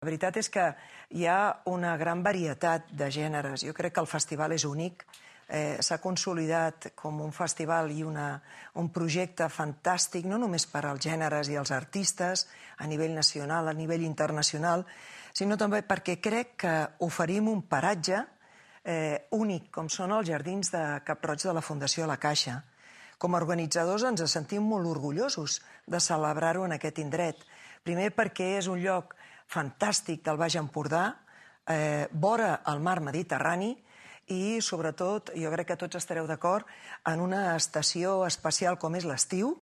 La veritat és que hi ha una gran varietat de gèneres. Jo crec que el festival és únic. S'ha consolidat com un festival i un projecte fantàstic, no només per als gèneres i els artistes, a nivell nacional, a nivell internacional, sinó també perquè crec que oferim un paratge únic, com són els jardins de Cap-roig de la Fundació La Caixa. Com a organitzadors ens sentim molt orgullosos de celebrar-ho en aquest indret. Primer perquè és un lloc fantàstic del Baix Empordà, vora el mar Mediterrani, i, sobretot, jo crec que tots estareu d'acord, en una estació especial com és l'estiu,